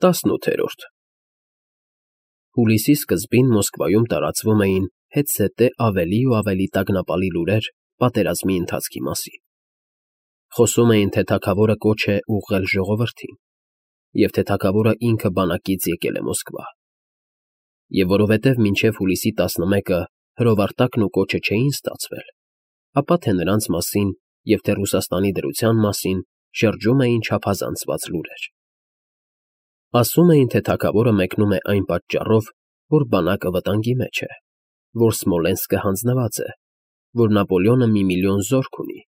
18 Հուլիսի սկզբին Մոսկվայում տարածվում էին հետզհետե ավելի ու ավելի տագնապալի լուրեր պատերազմի ընթացքի մասին. խոսում էին, թե թագավորը կոչ է ուղղել ժողովրդին, և թե թագավորը ինքը բանակից եկել է Մոսկվա, և որովհետև մինչև հուլիսի 11-ը հրովարտակն ու կոչը չէին ստացվել, ապա թե նրանց մասին և թե Ռուսաստանի դրության մասին շրջում էին չափազանցված լուրեր. ասում էին, թե թագավորը մեկնում է այն պատճառով, որ բանակը վտանգի մեջ է, որ Սմոլենսկը հանձնված է, որ Նապոլեոնը 1,000,000 զորք ունի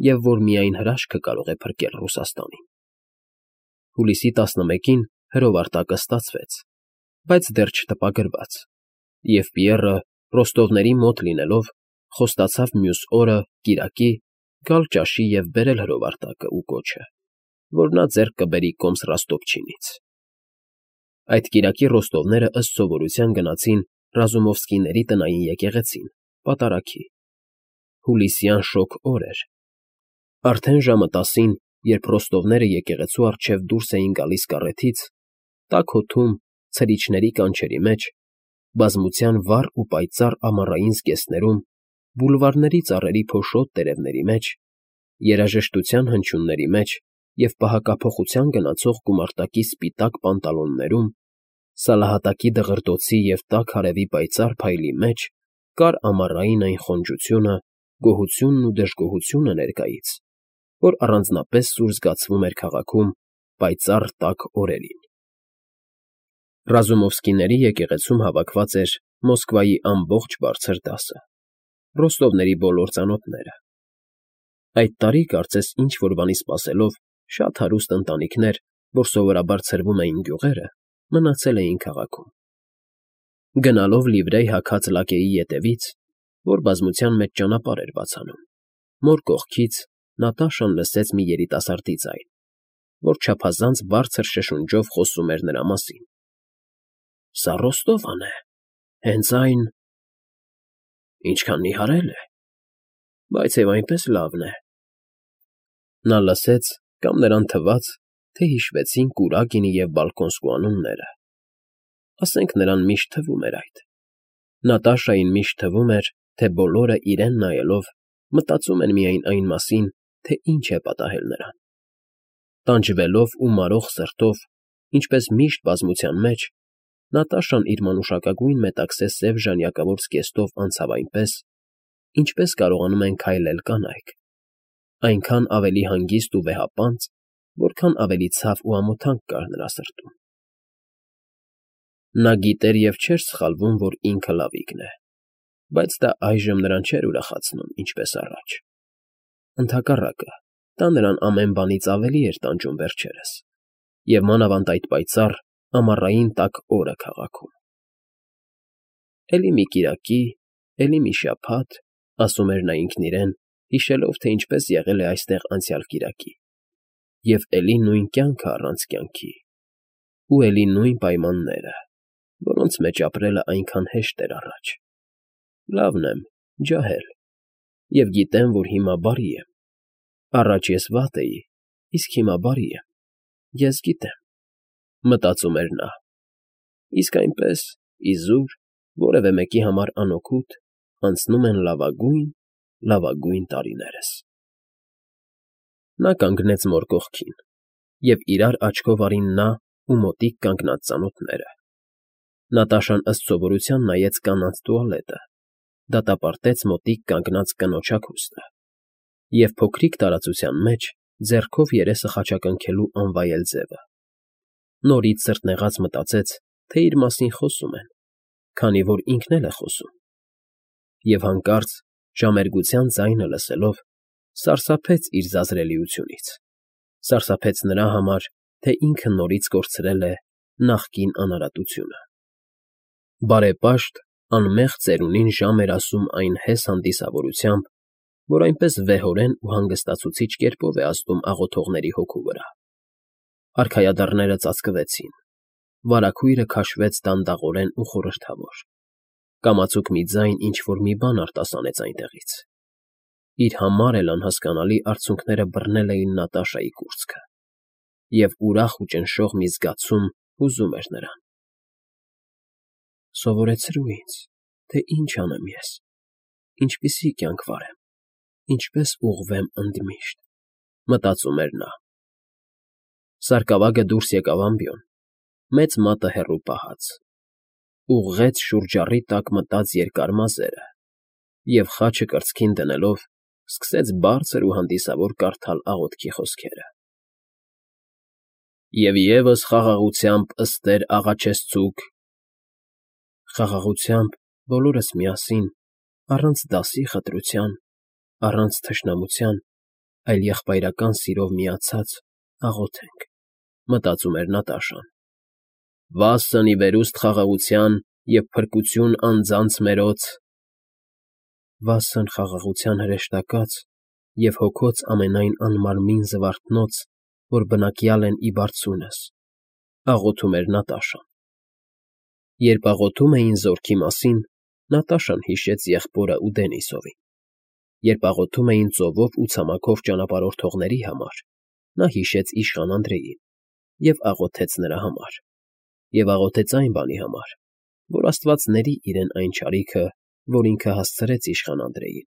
և որ միայն հրաշքը կարող է փրկել Ռուսաստանին։ Հուլիսի 11-ին հրովարտակը ստացվեց, բայց դեռ չտպագրված, և Պիեռը, Ռոստովների մոտ լինելով, խոստացավ մյուս օրը, կիրակի, գալ ճաշի և բերել հրովարտակը ու կոչը, որ նա ձեռք կբերի կոմս Ռոստովչինից։ Այդ կիրակի ռոստովները ըստ սովորության գնացին Ռազումովսկիների տնային եկեղեցին, պատարագի։ Հուլիսյան շոգ օր էր։ Արդեն ժամը 10-ին, երբ ռոստովները եկեղեցու առջև դուրս էին գալիս կառեթից, տաք օդում, ցրիչների կանչերի մեջ, բազմության վառ ու պայծառ ամառային զգեստներում, բուլվարների ծառերի փոշոտ տերևների մեջ, երաժշտության հնչյունների մեջ և պահակափոխության գնացող գումարտակի սպիտակ պանտալոններում, սալահատակի դղրդոցի և տաք արևի պայծառ փայլի մեջ կար ամառային այն խոնջությունը, գոհությունն ու դժգոհությունը ներկայից, որ առանձնապես սուր զգացվում էր քաղաքում պայծառ տաք օրերին։ Ռազումովսկիների եկեղեցում հավաքված էր Մոսկվայի ամբողջ բարձր դասը, ռոստովների բոլոր ծանոթները։ Այդ տարի, կարծես ինչ֊որ բանի սպասելով, շատ հարուստ ընտանիքներ, որ սովորաբար ցրվում էին գյուղերը, մնացել էին քաղաքում։ Գնալով լիվրեյ հագած լակեի ետևից, որ բազմության մեջ ճանապարհ էր բացանում, մոր կողքից Նատաշան լսեց մի երիտասարդի ձայն, որ չափազանց բարձր շշունջով խոսում էր նրա մասին. «Սա Ռոստովն է, հենց այն… ինչքան նիհարել է, բայց և այնպես լավն է»։ Նա լսեց, կամ նրան թվաց, թե հիշվեցին Կուրագինի և Բալկոնսկու անունները։ Ասենք նրան միշտ թվում էր այդ։ Նատաշային միշտ թվում էր, թե բոլորը, իրեն նայելով, մտածում են միայն այն մասին, թե ինչ է պատահել նրան։ Տանջվելով ու մարող սրտով, ինչպես միշտ բազմության մեջ, Նատաշան իր մանուշակագույն մետաքսե սև ժանյակավոր զգեստով անցավ այնպես, ինչպես կարողանում են քայլել կանայք, այնքան ավելի հանգիստ ու վեհապանծ, որքան ավելի ցավ ու ամոթանք կար նրա սրտում։ Նա գիտեր և չէր սխալվում, որ ինքը լավիկն է, բայց դա այժմ նրան չէր ուրախացնում, ինչպես առաջ։ Ընդհակառակը, դա նրան ամեն բանից ավելի էր տանջում վերջերս, և մանավանդ այդ պայծառ, ամառային տաք օրը քաղաքում։ «Էլի մի կիրակի, էլի մի շաբաթ», ասում էր նա ինքն իրեն, հիշելով, թե ինչպես եղել է այստեղ անցյալ կիրակի, և էլի նույն կյանքը առանց կյանքի, ու էլի նույն պայմանները, որոնց մեջ ապրելն այնքան հեշտ էր առաջ։ Լավն եմ, ջահել, և գիտեմ, որ հիմա բարի եմ։ Առաջ ես վատ էի, իսկ հիմա բարի եմ, ես գիտեմ, մտածում էր նա, իսկ այնպես, իզուր, որևէ մեկի համար անօգուտ, անցնում են լավագույն տարիներս։ Նա կանգնեց մոր կողքին, և իրար աչքով արին նա ու մոտիկ կանգնած ծանոթները։ Նատաշան ըստ սովորության նայեց կանանց տուալետը, դատապարտեց մոտիկ կանգնած կնոջ հագուստը և փոքրիկ տարածության մեջ ձեռքով երեսը խաչակնքելու անվայել ձևը։ Նորից սրտնեղած մտածեց, թե իր մասին խոսում են, քանի որ ինքն էլ է խոսում։ Եվ հանկարծ, ժամերգության ձայնը լսելով, սարսափեց իր զազրելիությունից, սարսափեց նրա համար, թե ինքը նորից կորցրել է նախկին անարատությունը։ Բարեպաշտ, անմեղ ծերունին ժամ էր ասում այն հես հանդիսավորությամբ, որ այնպես վեհորեն ու հանգստացուցիչ կերպով է ազդում աղոթողների հոգու վրա։ Արքայադռները ծածկվեցին, վարագույրը քաշվեց դանդաղորեն ու խորհրդավոր, կամացուկ մի ձայն ինչ֊որ մի բան արտասանեց այնտեղից։ Իր համար էլ անհասկանալի արցունքները բռնել էին Նատաշայի կուրծքը, և ուրախ ու ճնշող մի զգացում Հուզում էր նրան։ Սովորեցրու ինձ, թե ինչ անեմ ես, ինչպիսի կյանք վարեմ, ինչպես ուղղվեմ ընդմիշտ, մտածում էր նա։ Սարկավագը դուրս եկավ ամբիոն, մեծ մատը հեռու պահած, ուղղեց շուրջառի տակ մտած երկար մազերը և խաչը կրծքին դնելով սկսեց բարձր ու հանդիսավոր կարդալ աղոթքի խոսքերը. «Եվ ևս խաղաղությամբ ստեր աղաչեցցուք», խաղաղությամբ բոլորս միասին, առանց դասի խտրության, առանց թշնամության, այլ եղբայրական սիրով միացած աղոթենք, մտածում էր Նատաշան. «Վասն ի վերուստ խաղաղության և փրկություն անձանց մերոց», վասն խաղաղության հրեշտակած և հոգոց ամենայն անմարմին զվարթնոց, որ բնակյալ են ի բարձունս, աղոթում էր Նատաշան։ Երբ աղոթում էին զորքի մասին, Նատաշան հիշեց եղբորը ու Դենիսովին։ Երբ աղոթում էին ծովով ու ցամաքով ճանապարհորդողների համար, նա հիշեց իշխան Անդրեին և աղոթեց նրա համար, և աղոթեց այն բանի համար, որ Աստված ների իրեն այն չարիքը, որ ինքը հասցրեց իշխան Անդրեին։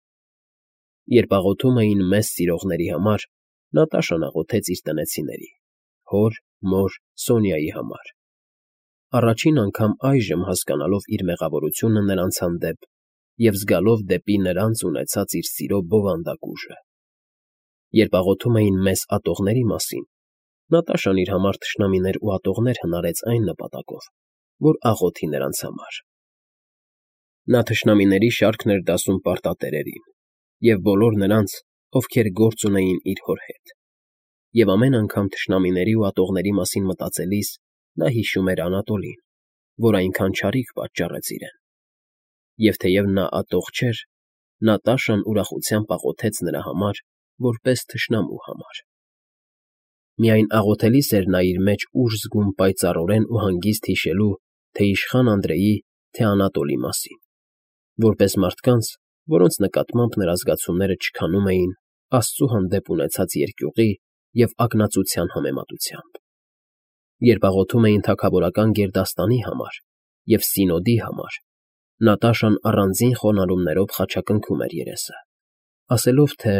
Երբ աղոթում էին մեզ սիրողների համար, Նատաշան աղոթեց իր տնեցիների՝ հոր, մոր, Սոնյայի համար։ Առաջին անգամ այժմ հասկանալով իր մեղավորությունը նրանց հանդեպ և զգալով դեպի նրանց ունեցած իր սիրո բովանդակ ուժը։ Երբ աղոթում էին մեզ ատողների մասին, Նատաշան իր համար թշնամիներ ու ատողներ հնարեց այն նպատակով, որ աղոթի նրանց համար։ Նա թշնամիների շարքն էր դասում պարտատերերին և բոլոր նրանց, ովքեր գործ ունեին իր հոր հետ։ Եվ ամեն անգամ թշնամիների ու ատողների մասին մտածելիս նա հիշում էր Անատոլին, որ այնքան չարիք պատճառեց իրեն։ Եվ թեև նա ատող չէր, Նատաշան ուրախությամբ աղոթեց նրա համար, որպես թշնամու համար։ Միայն աղոթելիս էր նա իր մեջ ուժ զգում պայծառորեն ու հանգիստ հիշելու թե իշխան Անդրեի, թե Անատոլի մասին, որպես մարդկանց, որոնց նկատմամբ նրա զգացումները չքանում էին Աստծու հանդեպ ունեցած երկյուղի և ակնածության համեմատությամբ։ Երբ աղոթում էին թագավորական գերդաստանի համար և Սինոդի համար, Նատաշան առանձին խոնարհումներով խաչակնքում էր երեսը, ասելով, թե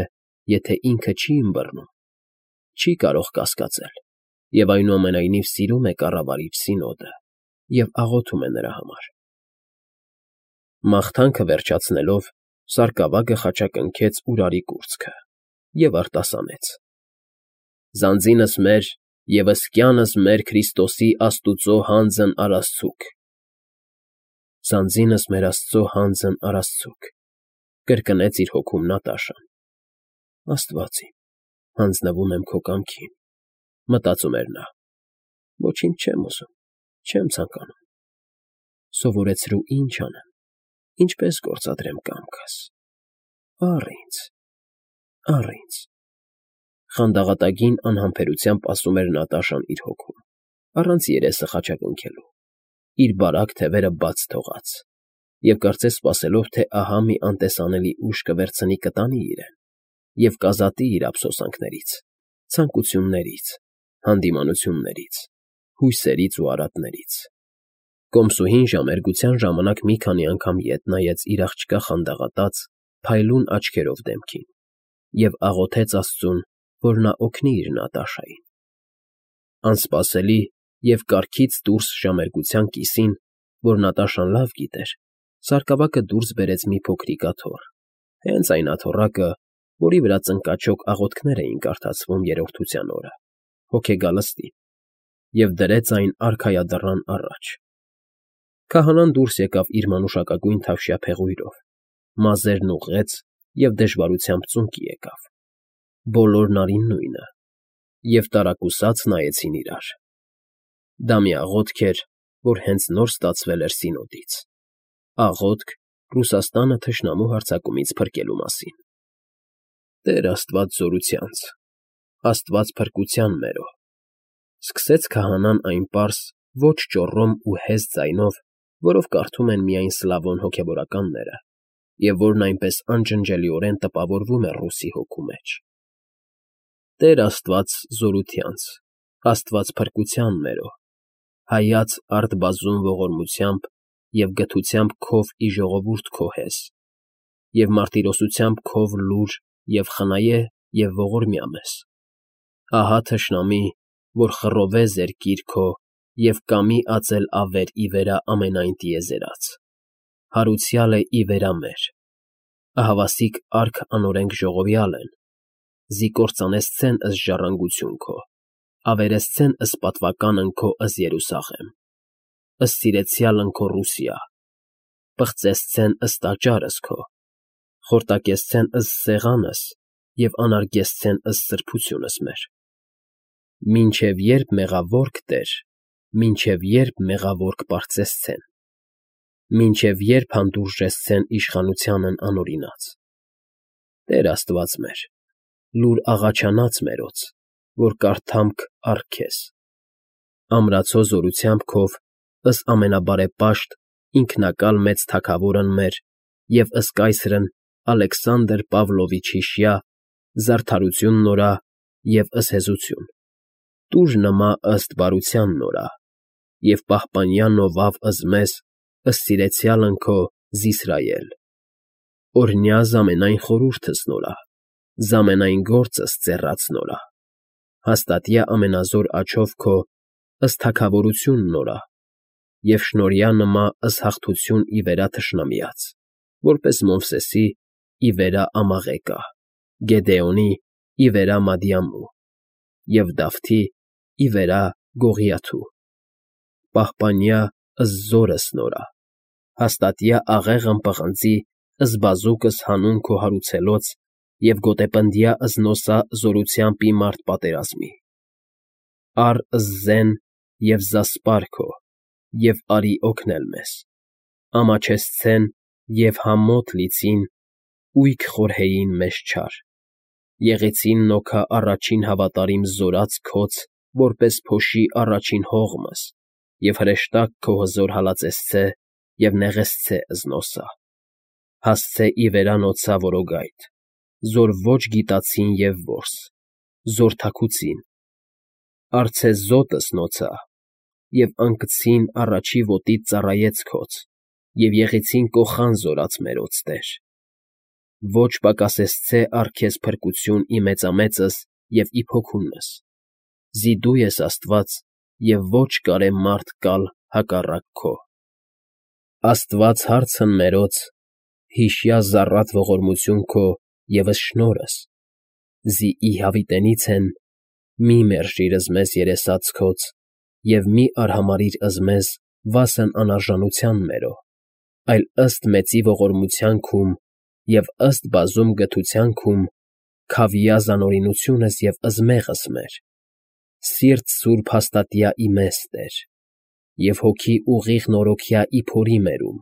եթե ինքը չի ըմբռնում, չի կարող կասկածել և այնուամենայնիվ սիրում է կառավարիչ Սինոդը և աղոթում է նրա համար։ Մաղթանքը վերջացնելով, Սարկավագը խաչակնքեց Ուրարի կուրծքը և արտասանեց. «Ձանձինս մեր և ըսկյանս մեր Քրիստոսի Աստուծո հանձն առասցուք»։ «Ձանձինս մեր Աստծո հանձն առասցուք», կրկնեց իր հոգում Նատաշան։ Աստված իմ, հանձնվում եմ քո կամքին, մտածում էր նա։ Ոչինչ չեմ ուզում, չեմ ցանկանում։ Սովորեցրու ինչ անեմ, ինչպես գործադրեմ կամքս։ Առ ինձ, առ ինձ։ Խանդաղատագին անհամբերությամբ ասում էր Նատաշան իր հոգում, առանց երեսը խաչակնքելու, իր բարակ թևերը բաց թողած, և կարծես սպասելով, թե ահա մի անտեսանելի ուժ կվերցնի կտանի իրեն և կազատի իր ափսոսանքներից, ցանկություններից, հանդիմանություններից, հույսերից ու արատներից։ Կոմսուհին ժամերգության ժամանակ մի քանի անգամ ետ նայեց իր աղջկա խանդաղատած, փայլուն աչքերով դեմքին և աղոթեց Աստծուն, որ նա օգնի իր Նատաշային։ Անսպասելի և կարգից դուրս ժամերգության կիսին, որ Նատաշան լավ գիտեր, Սարկավագը դուրս բերեց մի փոքրիկ աթոռ, հենց այն աթոռակը, որի վրա ծնկաչոք աղոթքներ էին կարդացվում Երրորդության օրը, հոգեգալստին, և դրեց այն արքայադռան առաջ։ Քահանան դուրս եկավ իր մանուշակագույն թավշյա փեղույրով, մազերն ուղղեց և դժվարությամբ ծունկի եկավ։ Բոլորն արին նույնը և տարակուսած նայեցին իրար։ Դա մի աղոթք էր, որ հենց նոր ստացվել էր Սինոդից, աղոթք Ռուսաստանը թշնամու հարձակումից փրկելու մասին։ «Տեր Աստված զորությանց, Աստված փրկության մերո», սկսեց քահանան այն պարզ, ոչ ճոռոմ ու հեզ ձայնով, որով կարդում են միայն սլավոն հոգևորականները, և որն այնպես անջնջելիորեն տպավորվում է ռուսի հոգու մեջ։ «Տեր Աստված զորությանց, Աստված փրկության մերո, հայաց արդ բազում ողորմությամբ և գթությամբ քով ի ժողովուրդ քո հես, և մարտիրոսությամբ քով լուր և խնայե և ողորմյա մեզ. ահա թշնամի, որ խռովե զերկիր քո և կամի ածել ավեր ի վերա ամենայն տիեզերած, հարուցյալ է ի վերա մեր, ահավասիկ արք անօրենք ժողովյալ են, զի կործանեսցեն ըս ժառանգություն քո, ավերեսցեն ըս պատվականն քո ըս Երուսաղեմ, ըս սիրեցյալն քո Ռուսիա, պղծեսցեն ըս տաճարս քո, խորտակեսցեն ըս սեղանս և անարգեսցեն ըս սրբությունս մեր. մինչև երբ մեղավոր կտեր, մինչև երբ մեղավոր կպարծեսցեն, մինչև երբ հանդուրժեսցեն իշխանությանն անօրինած. Տեր Աստված մեր, լուր աղաչանաց մերոց, որ կարդամք առ քեզ, ամրացո զորությամբ քով ըս ամենաբարեպաշտ ինքնակալ մեծ թագավորն մեր և ըս կայսրն Ալեքսանդր Պավլովիչ հիշյա, զարդարություն նորա և ըս հեզություն, տուր նմա ըստ բարության նորա, և պահպանյա նովավ ըս մեզ, ըս սիրեցյալն քո Զիսրայել, օրհնյա զամենայն խորհուրդս նորա, զամենայն գործս ծեռաց նորա, հաստատյա ամենազոր աջով քո ըս թագավորություն նորա, և շնորհյա նմա ըս հաղթություն ի վերա թշնամիած, որպես Մովսեսի ի վերա Ամաղեկա, Գեդեոնի ի վերա Մադիամու, և Դավթի ի վերա Գողիաթու, պահպանյա ըս զորս նորա, հաստատյա աղեղն պղնձի ըս բազուկս հանուն քո հարուցելոց և գոտեպնդյա ըս նոսա զորությանպի մարդ պատերազմի, առ ըս զեն և զասպար քո, և արի օգնել մեզ, ամաչեսցեն և համոտ լիցին, ույք խորհեին մեզ չար, եղեցին նոքա առաջին հավատարիմ զորած քոց, որպես փոշի առաջին հողմս, և հրեշտակ քո հզոր հալածեսցե և նեղեսցե ըզնոսա, հասցե ի վերանոցա որոգայթ, զոր ոչ գիտացին և որս, զոր թաքուցին, արցե զոտս նոցա, և ընկցին առաջի ոտիդ ծառայեց քոց, և եղեցին կոխան զորած մերոց տեր, ոչ պակասեցցե առ քեզ փրկություն ի մեծամեծս և ի փոքունս, զի դու ես Աստված և ոչ կարե մարդ կալ հակառակ քո, Աստված հարցն մերոց, հիշյա զառատ ողորմություն քո և ըս շնորհս, զի ի հավիտենից են, մի մերժիր ըզմեզ երեսածքոց և մի արհամարիր ըզմեզ վասն անարժանության մերո, այլ ըստ մեծի ողորմության քում և ըստ բազում գթության քում քավյա զանօրինությունս և ըզմեղս մեր, սիրտ սուրբ հաստատյա ի մեզ Տեր, և հոգի ուղիղ նորոգյա ի փորի մերում,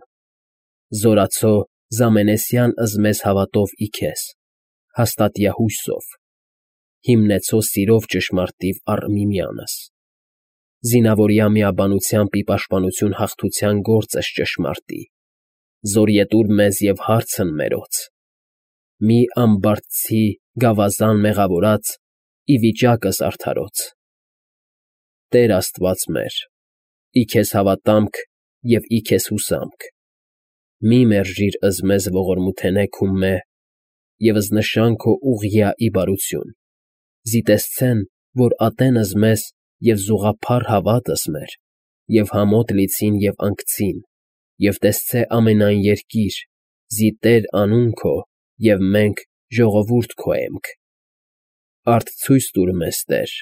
զորացո զամենեսյան ըզմեզ հավատով ի քեզ, հաստատյա հույսով, հիմնեցո սիրով ճշմարտիվ առ միմյանս, զինավորյա միաբանությամբ ի պաշտպանություն հաղթության գործս ճշմարտի, զորյետուր մեզ և հարցն մերոց, մի ամբարտցի գավազան մեղավորած ի վիճակս արդարոց, Տեր Աստված մեր, ի քեզ հավատամք և ի քեզ հուսամք, մի մերժիր ըզմեզ ողորմութենե քումմե և ըզնշան քո ուղղյա ի բարություն, զիտեսցեն, որ ատեն ըզմեզ և զուղափառ հավատս մեր, և համոտ լիցին և ընկցին, և տեսցե ամենայն երկիր, զի Տեր անուն քո և մենք ժողովուրդ քո էմք, արդ ցույց տուր մեզ, Տեր,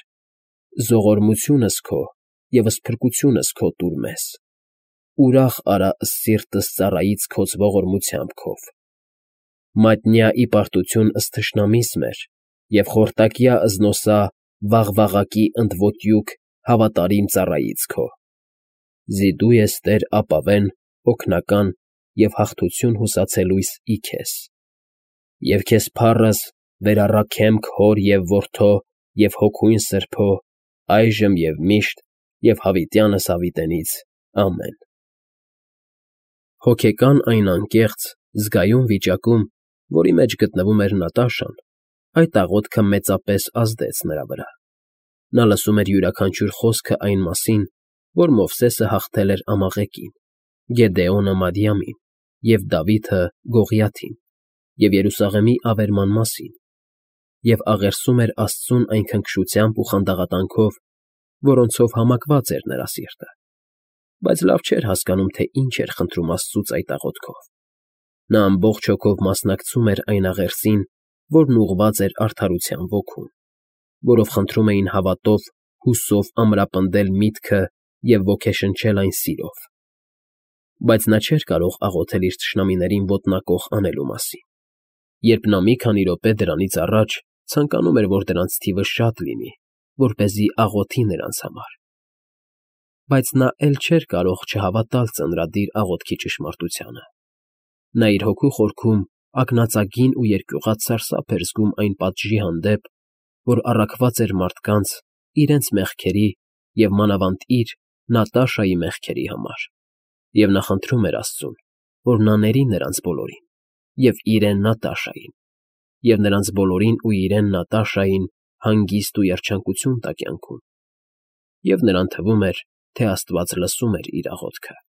զողորմությունս քո և սփրկությունս քո տուր մեզ, ուրախ արա ըս սիրտս ծառայից քոց ողորմությամբ քով, մատնյա ի պարտություն ըս թշնամիս մեր և խորտակյա ըզնոսա վաղվաղակի ընդոտյուկ հավատարիմ ծառայից քո, զի դու ես Տեր ապավեն, օգնական և հաղթություն հուսացելույս ի քեզ, և քեզ փառս վերառաքեմք Հոր և Որդու և Հոգուն Սրբո, այժմ և միշտ և հավիտյանս հավիտենից, ամեն։ Հոգեկան այն անկեղծ, զգայուն վիճակում, որի մեջ գտնվում էր Նատաշան, այդ աղոթքը մեծապես ազդեց նրա վրա. նա լսում էր յուրաքանչյուր խոսքը այն մասին, որ Մովսեսը հաղթել էր Ամաղեկին, Գեդեոնը Մադիամին և Դավիթը Գողիաթին և Երուսաղեմի ավերման մասին, և աղերսում էր Աստծուն այն քնքշությամբ ու խանդաղատանքով, որոնցով համակված էր նրա սիրտը, բայց լավ չէր հասկանում, թե ինչ էր խնդրում Աստծուց այդ աղոթքով. նա ամբողջ հոգով մասնակցում էր այն աղերսին, որն ուղղված էր արդարության ոգուն, որով խնդրում էին հավատով, հուսով ամրապնդել միտքը և ոգեշնչել այն սիրով, բայց նա չէր կարող աղոթել իր թշնամիներին ոտնակոխ անելու մասին, երբ նա մի քանի րոպե դրանից առաջ ցանկանում էր, որ դրանց թիվը շատ լինի, որպեսզի աղոթի նրանց համար, բայց նա էլ չէր կարող չհավատալ ծնրադիր աղոթքի ճշմարտությանը. նա իր հոգու խորքում ակնածագին ու երկյուղած սարսափ էր զգում այն պատժի հանդեպ, որ առաքված էր մարդկանց իրենց մեղքերի և մանավանդ իր՝ Նատաշայի մեղքերի համար, և նա խնդրում էր Աստծուն, որ նա ների նրանց բոլորին, և իրեն Նատաշային, և նրանց բոլորին ու իրեն Նատաշային հանգիստ ու երջանկություն տա կյանքում, և նրան թվում էր, թե Աստված լսում էր իր աղոթքը։